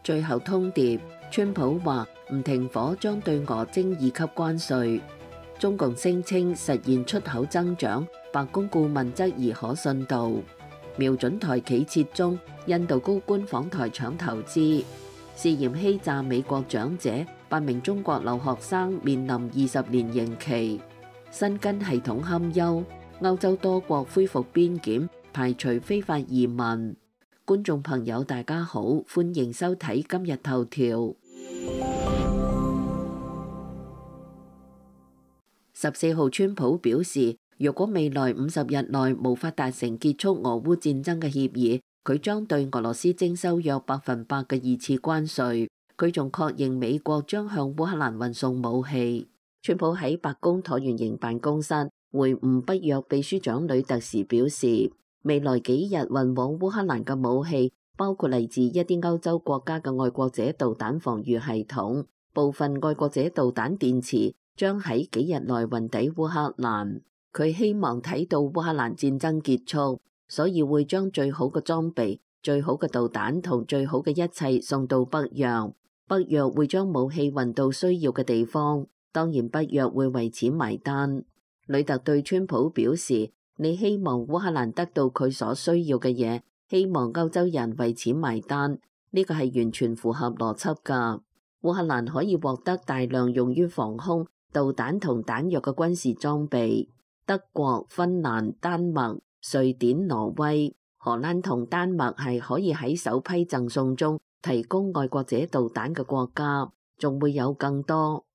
最後通牒，川普話唔停火將對俄徵2級關稅。中共聲稱實現出口增長，白宮顧問質疑可信度。瞄準台企撤中，印度高官訪台搶投資。涉嫌欺詐美國長者8名中國留學生面臨20年刑期。申根系統堪憂，歐洲多國恢復邊檢，排除非法移民。觀眾朋友大家好，歡迎收睇今日頭條。14號，川普表示，若果未來50日內無法達成結束俄烏戰爭嘅協議，佢將對俄羅斯徵收約100%嘅2次關稅。佢仲確認美國將向烏克蘭運送武器。川普喺白宮橢圓形辦公室會晤北約秘書長呂特時表示，未來幾日運往烏克蘭嘅武器包括嚟自一啲歐洲國家嘅愛國者導彈防禦系統，部分愛國者導彈電池將喺幾日內運抵烏克蘭。佢希望睇到烏克蘭戰爭結束，所以會將最好嘅裝備、最好嘅導彈同最好嘅一切送到北約。北約會將武器運到需要嘅地方，當然北約會為此埋單。呂特對川普表示，你希望烏克蘭得到佢所需要嘅嘢，希望歐洲人為此埋單，呢個係完全符合邏輯㗎。烏克蘭可以獲得大量用於防空、導彈同彈藥嘅軍事裝備。德國、芬蘭、丹麥、瑞典、挪威、荷蘭同丹麥係可以喺首批贈送中提供愛國者導彈嘅國家，仲會有更多。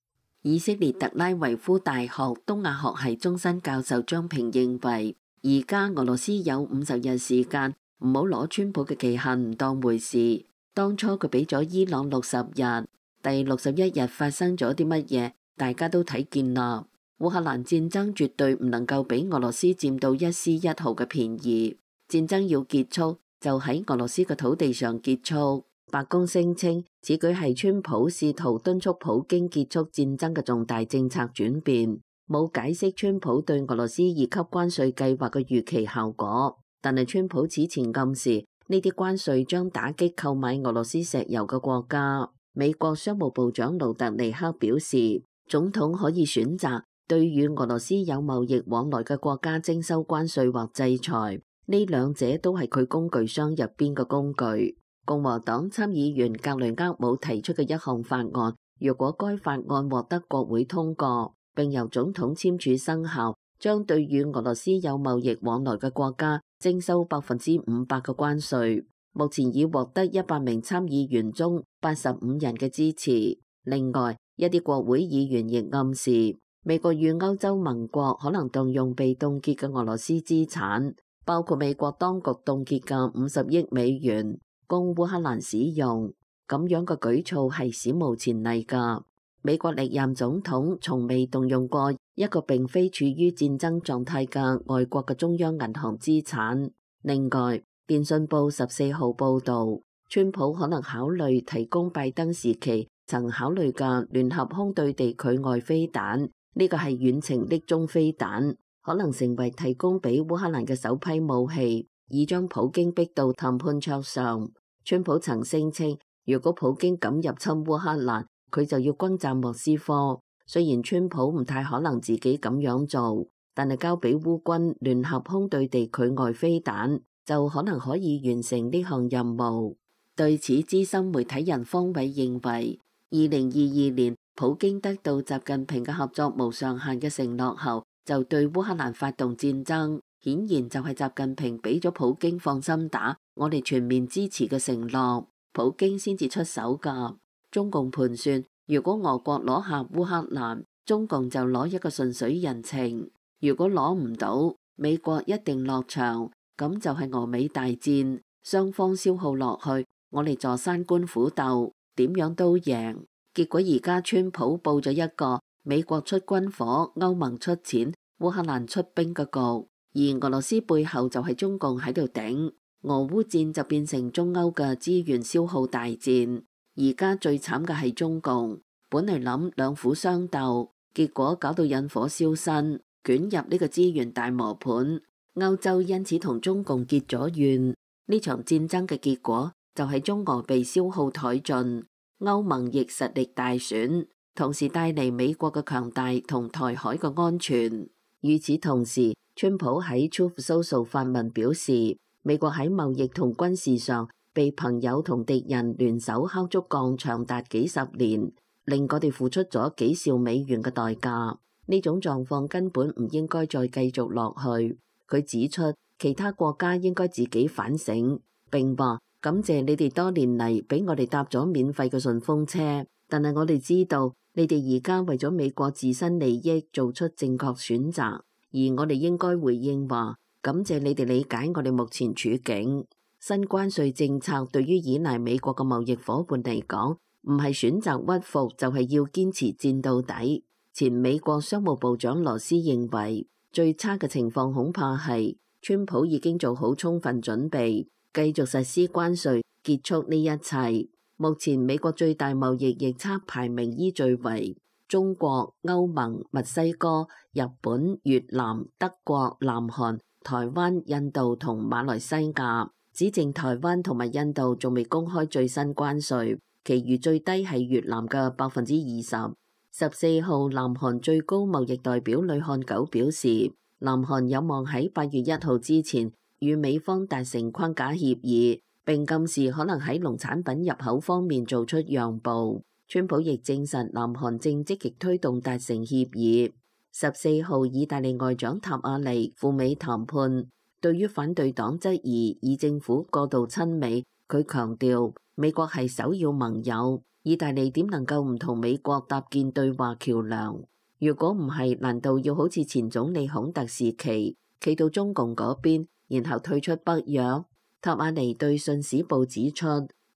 以色列特拉維夫大學東亞學系終身教授張平認為，而家俄羅斯有50日時間，唔好攞川普嘅期限唔當回事。當初佢俾咗伊朗60日，第61日發生咗啲乜嘢，大家都睇見啦。烏克蘭戰爭絕對唔能夠俾俄羅斯佔到一絲一毫嘅便宜。戰爭要結束，就喺俄羅斯嘅土地上結束。白宮聲稱，此舉係川普試圖敦促普京結束戰爭嘅重大政策轉變，冇解釋川普對俄羅斯2級關稅計劃嘅預期效果。但係川普此前暗示，呢啲關稅將打擊購買俄羅斯石油嘅國家。美國商務部長盧特尼克表示，總統可以選擇對與俄羅斯有貿易往來嘅國家徵收關稅或制裁，呢兩者都係佢工具箱入邊嘅工具。共和黨參議員格雷厄姆提出嘅一項法案，若果該法案獲得國會通過，並由總統簽署生效，將對與俄羅斯有貿易往來嘅國家徵收500%嘅關稅。目前已獲得100名參議員中85人嘅支持。另外，一啲國會議員亦暗示，美國與歐洲盟國可能動用被凍結嘅俄羅斯資產，包括美國當局凍結嘅50億美元，供烏克蘭使用。咁樣嘅舉措係史無前例㗎。美國歷任總統從未動用過一個並非處於戰爭狀態嘅外國嘅中央銀行資產。另外，電訊報14號報導，川普可能考慮提供拜登時期曾考慮嘅聯合空對地區外飛彈，呢個係遠程的中飛彈，可能成為提供俾烏克蘭嘅首批武器，以將普京逼到談判桌上。川普曾聲稱，如果普京敢入侵烏克蘭，佢就要轟炸莫斯科。雖然川普唔太可能自己咁樣做，但係交俾烏軍聯合空對地區外飛彈，就可能可以完成呢項任務。對此，資深媒體人方偉認為，2022年普京得到習近平嘅合作無上限嘅承諾後，就對烏克蘭發動戰爭，顯然就係習近平俾咗普京放心打，我哋全面支持嘅承諾，普京先至出手㗎。中共盤算，如果俄國攞下烏克蘭，中共就攞一個順水人情；如果攞唔到，美國一定落場，咁就係俄美大戰，雙方消耗落去，我哋坐山觀虎鬥，點樣都贏。結果而家川普佈咗一個美國出軍火、歐盟出錢、烏克蘭出兵嘅局，而俄羅斯背後就係中共喺度頂，俄烏戰就變成中歐嘅資源消耗大戰。而家最慘嘅係中共，本嚟諗兩虎相鬥，結果搞到引火燒身，捲入呢個資源大磨盤。歐洲因此同中共結咗怨。呢場戰爭嘅結果就係中俄被消耗殆盡，歐盟亦實力大損，同時帶嚟美國嘅強大同台海嘅安全。與此同時，川普喺 Truth Social 發文表示，美國喺貿易同軍事上被朋友同敵人聯手敲竹槓長達幾十年，令我哋付出咗幾兆美元嘅代價。呢種狀況根本唔應該再繼續落去。佢指出，其他國家應該自己反省，並話感謝你哋多年嚟俾我哋搭咗免費嘅順風車，但係我哋知道你哋而家為咗美國自身利益做出正確選擇，而我哋應該回應話感謝你哋理解我哋目前處境。新關稅政策對於依賴美國嘅貿易夥伴嚟講，唔係選擇屈服，就係要堅持戰到底。前美國商務部長羅斯認為，最差嘅情況恐怕係川普已經做好充分準備，繼續實施關稅，結束呢一切。目前美國最大貿易逆差排名依序為中國、歐盟、墨西哥、日本、越南、德國、南韓、台灣、印度同馬來西亞，只剩台灣同埋印度仲未公開最新關稅，其餘最低係越南嘅20%。14號，南韓最高貿易代表呂漢九表示，南韓有望喺8月1號之前與美方達成框架協議，並暗示可能喺農產品入口方面做出讓步。川普亦證實南韓正積極推動達成協議。14號，意大利外長塔亞尼赴美談判，對於反對黨質疑以政府過度親美，佢強調美國係首要盟友。意大利點能夠唔同美國搭建對話橋樑？如果唔係，難道要好似前總理孔特時期企到中共嗰邊，然後退出北約？塔亞尼對信使報指出，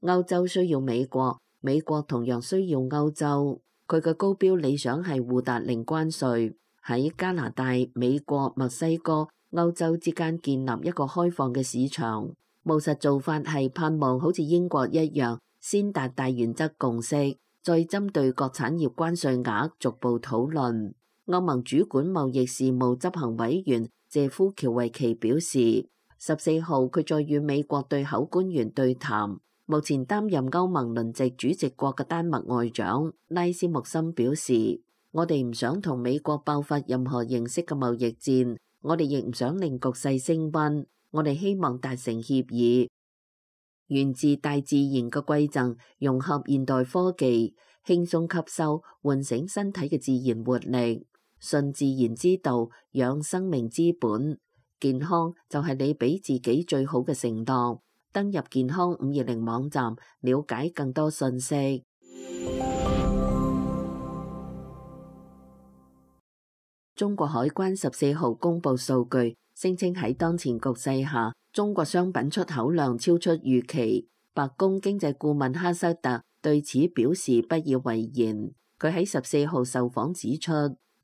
歐洲需要美國，美國同樣需要歐洲。佢嘅高標理想係互達零關稅，喺加拿大、美國、墨西哥、歐洲之間建立一個開放嘅市場。務實做法係盼望好似英國一樣，先達大原則共識，再針對各產業關稅額逐步討論。歐盟主管貿易事務執行委員謝夫喬維奇表示，14號佢再與美國對口官員對談。目前擔任歐盟輪值主席國嘅丹麥外長拉斯穆森表示，我哋唔想同美國爆發任何形式嘅貿易戰，我哋亦唔想令局勢升溫，我哋希望達成協議。源自大自然嘅饋贈，融合現代科技，輕鬆吸收，喚醒身體嘅自然活力。順自然之道，養生命之本。健康就係你俾自己最好嘅承諾。登入健康520網站，了解更多信息。中國海關14號公布數據，聲稱喺當前局勢下，中國商品出口量超出預期。白宮經濟顧問哈塞特對此表示不以為然。佢喺14號受訪指出，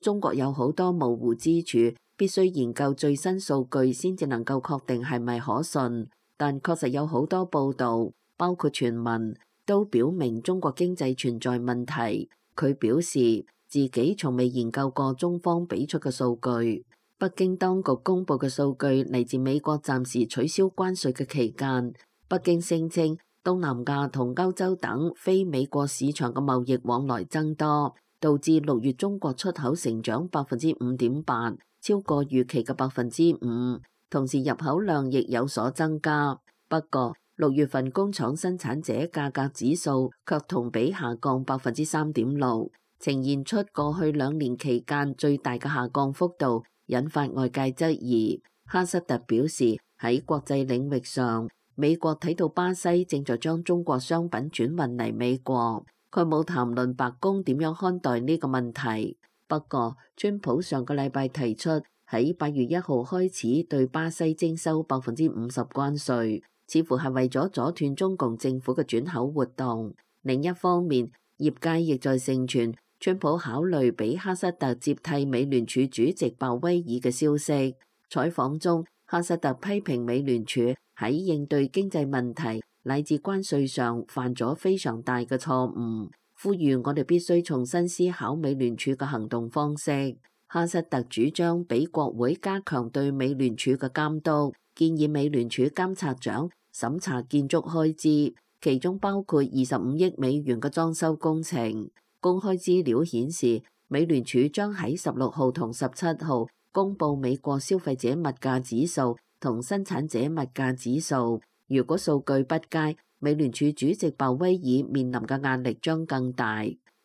中國有好多模糊之處，必須研究最新數據先至能夠確定係咪可信。但確實有好多報導，包括傳聞，都表明中國經濟存在問題。佢表示自己從未研究過中方俾出嘅數據。北京當局公布嘅數據嚟自美國暫時取消關稅嘅期間。北京聲稱東南亞同歐洲等非美國市場嘅貿易往來增多，導致6月中國出口成長5.8%，超過預期嘅5%。同時入口量亦有所增加。不過6月份工廠生產者價格指數卻同比下降3.6%，呈現出過去2年期間最大嘅下降幅度，引發外界質疑。哈塞特表示，喺國際領域上，美國睇到巴西正在將中國商品轉運嚟美國。佢冇談論白宮點樣看待呢個問題。不過川普上個禮拜提出喺8月1號開始對巴西徵收50%關稅，似乎係為咗阻斷中共政府嘅轉口活動。另一方面，業界亦在盛傳川普考慮俾哈塞特接替美聯儲主席鮑威爾嘅消息。採訪中，哈塞特批評美聯儲喺應對經濟問題乃至關稅上犯咗非常大嘅錯誤，呼籲我哋必須重新思考美聯儲嘅行動方式。哈塞特主張俾國會加強對美聯儲嘅監督，建議美聯儲監察長審查建築開支，其中包括25億美元嘅裝修工程。公開資料顯示，美聯儲將喺16號同17號公布美國消費者物價指數同生產者物價指數。如果數據不佳，美聯儲主席鮑威爾面臨嘅壓力將更大。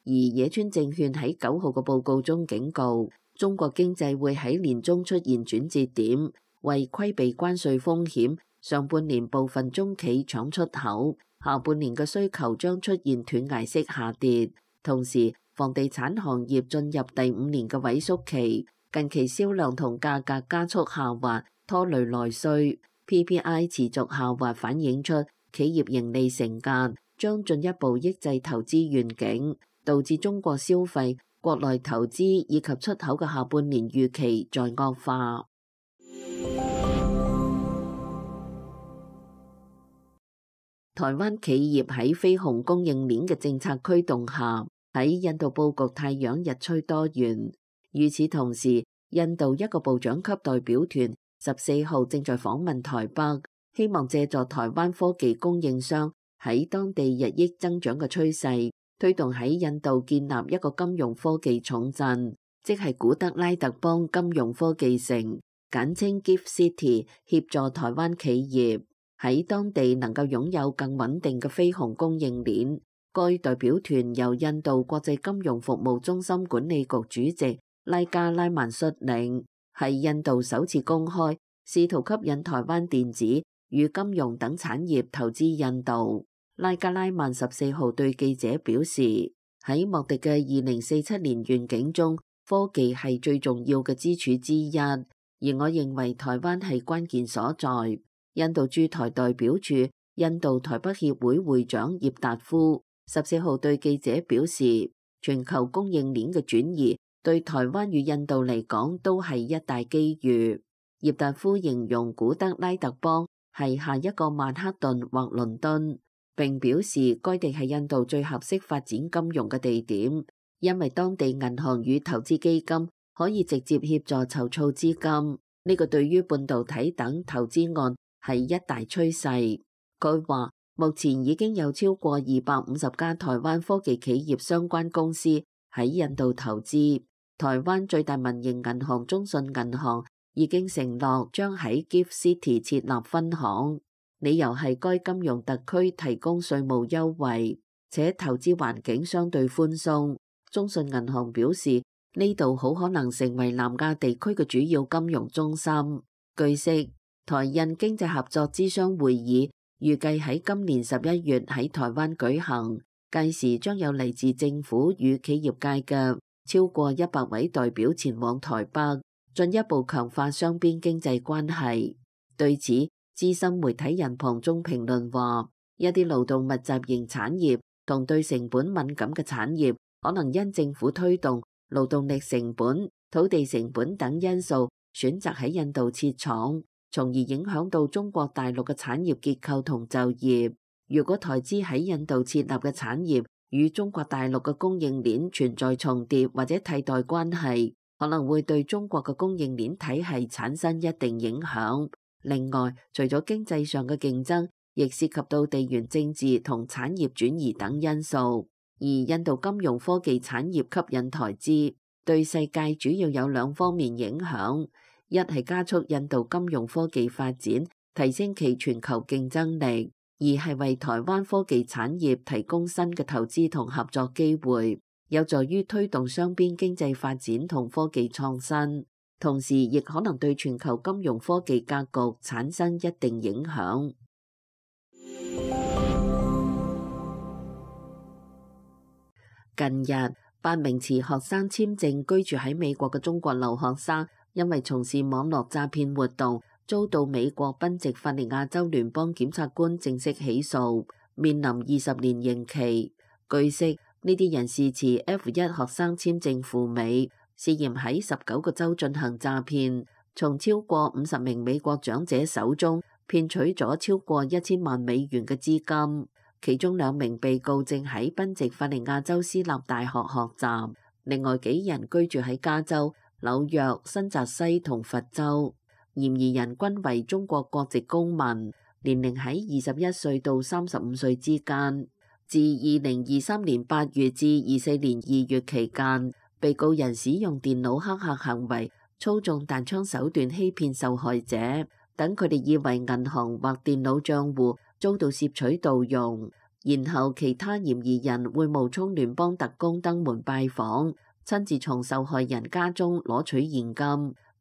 而野村證券喺9號嘅報告中警告，中國經濟會喺年中出現轉折點，為規避關稅風險，上半年部分中企搶出口，下半年嘅需求將出現斷崖式下跌。同時，房地產行業進入第5年嘅萎縮期，近期銷量同價格加速下滑，拖累內需。PPI 持續下滑，反映出企業盈利承壓，將進一步抑制投資願景，導致中國消費、國內投資以及出口嘅下半年預期在惡化。台灣企業喺非紅供應鏈嘅政策驅動下，喺印度佈局太陽日趨多元。與此同時，印度一個部長級代表團14號正在訪問台北，希望借助台灣科技供應商喺當地日益增長嘅趨勢，推動喺印度建立一個金融科技重鎮，即係古德拉特邦金融科技城，簡稱 Gift City， 協助台灣企業喺當地能夠擁有更穩定嘅非紅供應鏈。該代表團由印度國際金融服務中心管理局主席拉加拉曼率領，係印度首次公開試圖吸引台灣電子與金融等產業投資印度。拉加拉曼14號對記者表示，喺莫迪嘅2047年願景中，科技係最重要嘅支柱之一，而我認為台灣係關鍵所在。印度駐台代表處印度台北協會會長葉達夫14號對記者表示，全球供應鏈嘅轉移對台灣與印度嚟講都係一大機遇。葉達夫形容古德拉特邦係下一個曼克頓或倫敦，並表示該地係印度最合適發展金融嘅地點，因為當地銀行與投資基金可以直接協助籌措資金。呢個對於半導體等投資案係一大趨勢。佢話目前已經有超過250家台灣科技企業相關公司喺印度投資。台灣最大民營銀行中信銀行已經承諾將喺 Gift City 設立分行，理由係該金融特區提供稅務優惠，且投資環境相對寬鬆。中信銀行表示，呢度好可能成為南亞地區嘅主要金融中心。據悉，台印經濟合作諮商會議預計喺今年11月喺台灣舉行，屆時將有嚟自政府與企業界嘅超過100位代表前往台北，進一步強化雙邊經濟關係。對此，資深媒體人龐中評論話，一啲勞動密集型產業同對成本敏感嘅產業，可能因政府推動、勞動力成本、土地成本等因素，選擇喺印度設廠，從而影響到中國大陸嘅產業結構同就業。如果台資喺印度設立嘅產業與中國大陸嘅供應鏈存在重疊或者替代關係，可能會對中國嘅供應鏈體系產生一定影響。另外，除咗經濟上嘅競爭，亦涉及到地緣政治同產業轉移等因素。而印度金融科技產業吸引台資，對世界主要有2方面影響。一係加速印度金融科技發展，提升其全球競爭力；二係為台灣科技產業提供新嘅投資同合作機會，有助於推動雙邊經濟發展同科技創新，同時亦可能對全球金融科技格局產生一定影響。近日，8名持學生簽證居住喺美國嘅中國留學生，因為從事網絡詐騙活動，遭到美國賓夕法尼亞州聯邦檢察官正式起訴，面臨20年刑期。據悉，呢啲人士持 F1 學生簽證赴美，涉嫌喺19個州進行詐騙，從超過50名美國長者手中騙取咗超過1000萬美元嘅資金。其中2名被告正喺賓夕法尼亞州私立大學學習，另外幾人居住喺加州、紐約、新澤西同佛州。嫌疑人均為中國國籍公民。年齡喺21歲到35歲之間。自2023年8月至24年2月期間，被告人使用電腦黑客行為，操縱彈槍手段欺騙受害者，等佢哋以為銀行或電腦帳戶遭到竊取盜用，然後其他嫌疑人會冒充聯邦特工登門拜訪，親自從受害人家中攞取現金。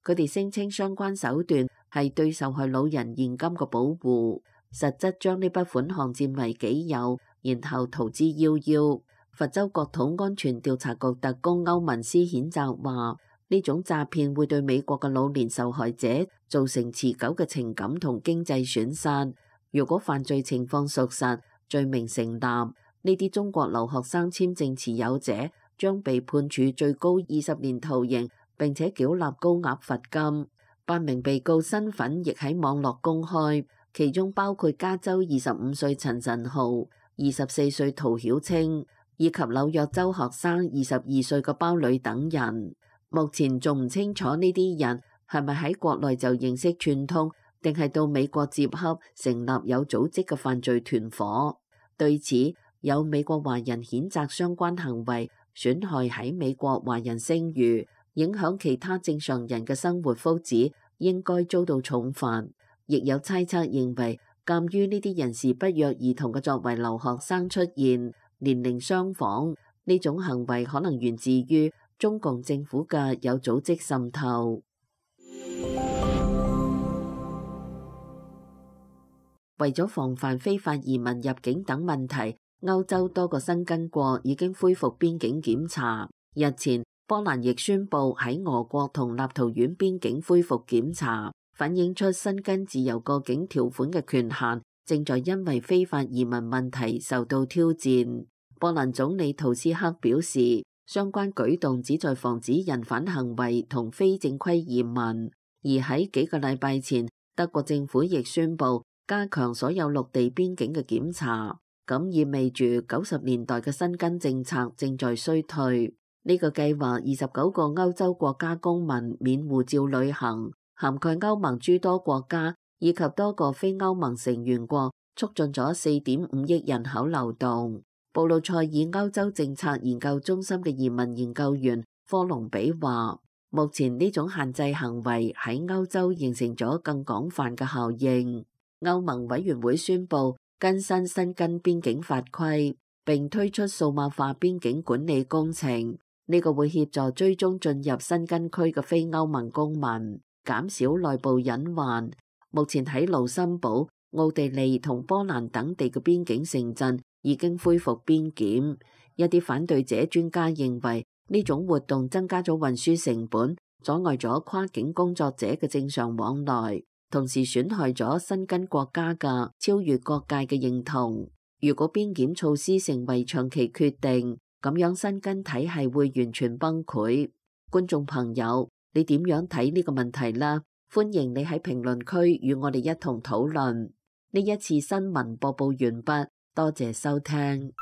佢哋聲稱相關手段係對受害老人現金嘅保護，實質將呢筆款項佔為己有，然後逃之夭夭。佛州國土安全調查局特工歐文斯譴責話，呢種詐騙會對美國嘅老年受害者造成持久嘅情感同經濟損失。如果犯罪情況屬實，罪名成立，呢啲中國留學生簽證持有者將被判處最高20年徒刑，並且繳納高額罰金。8名被告身份亦喺網絡公開，其中包括加州25歲陳晨浩、24歲陶曉清，以及紐約州學生22歲嘅包女等人。目前仲唔清楚呢啲人係咪喺國內就認識串通，定係到美國接洽成立有組織嘅犯罪團夥。對此，有美國華人譴責相關行為損害喺美國華人聲譽，影響其他正常人嘅生活福祉，應該遭到重罰。亦有猜測認為，鑑於呢啲人士不約而同嘅作為留學生出現，年齡相仿，呢種行為可能源自於中共政府嘅有組織滲透。為咗防範非法移民入境等問題，歐洲多個申根國已經恢復邊境檢查。日前，波蘭亦宣布喺俄國同立陶宛邊境恢復檢查，反映出申根自由過境條款嘅權限正在因為非法移民問題受到挑戰。波蘭總理圖斯克表示，相關舉動旨在防止人販行為同非正規移民。而喺幾個禮拜前，德國政府亦宣布加強所有陸地邊境嘅檢查，咁意味住90年代嘅申根政策正在衰退。呢個計劃29個歐洲國家公民免護照旅行，涵蓋歐盟諸多國家以及多個非歐盟成員國，促進咗4.5億人口流動。布魯塞爾歐洲政策研究中心嘅移民研究員科隆比話，目前呢種限制行為喺歐洲形成咗更廣泛嘅效應。歐盟委員會宣布更新申根邊境法規，並推出數碼化邊境管理工程。呢個會協助追蹤進入申根區嘅非歐盟公民，減少內部隱患。目前喺盧森堡、奧地利同波蘭等地嘅邊境城鎮已經恢復邊檢。一啲反對者專家認為呢種活動增加咗運輸成本，阻礙咗跨境工作者嘅正常往來，同時損害咗申根國家嘅超越國界嘅認同。如果邊檢措施成為長期決定，咁樣申根體系會完全崩潰。觀眾朋友，你點樣睇呢個問題呢？歡迎你喺評論區與我哋一同討論。呢一次新聞播報完畢，多謝收聽。